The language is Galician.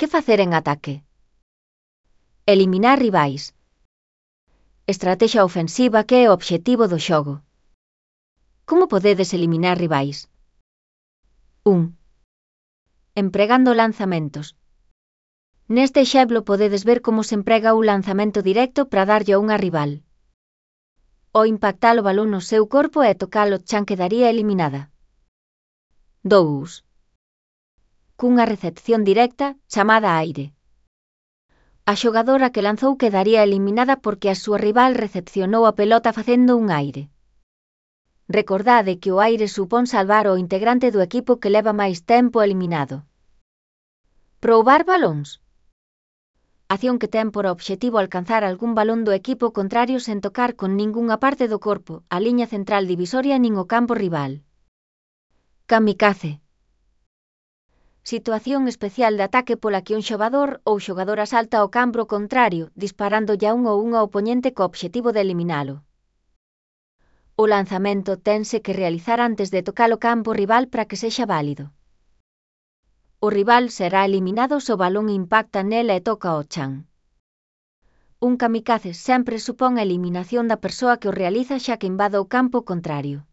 Que facer en ataque? Eliminar rivais. Estrategia ofensiva que é o obxectivo do xogo. Como podedes eliminar rivais? 1. Empregando lanzamentos. Neste exemplo podedes ver como se emprega un lanzamento directo para darlle a unha rival. Ao impactar o balón no seu corpo e tocar o chan quedaría eliminada. 2. Cunha recepción directa, chamada aire. A xogadora que lanzou quedaría eliminada porque a súa rival recepcionou a pelota facendo un aire. Recordade que o aire supón salvar o integrante do equipo que leva máis tempo eliminado. Probar balóns. Acción que ten por obxectivo alcanzar algún balón do equipo contrario sen tocar con ningunha parte do corpo, a liña central divisoria nin o campo rival. Kamikaze. Situación especial de ataque pola que un xogador ou xogadora salta ao campo contrario, disparándolle a un ou unha opoñente co obxectivo de eliminalo. O lanzamento tense que realizar antes de tocar o campo rival para que sexa válido. O rival será eliminado se o balón impacta nela e toca o chan. Un kamikaze sempre supón a eliminación da persoa que o realiza xa que invada o campo contrario.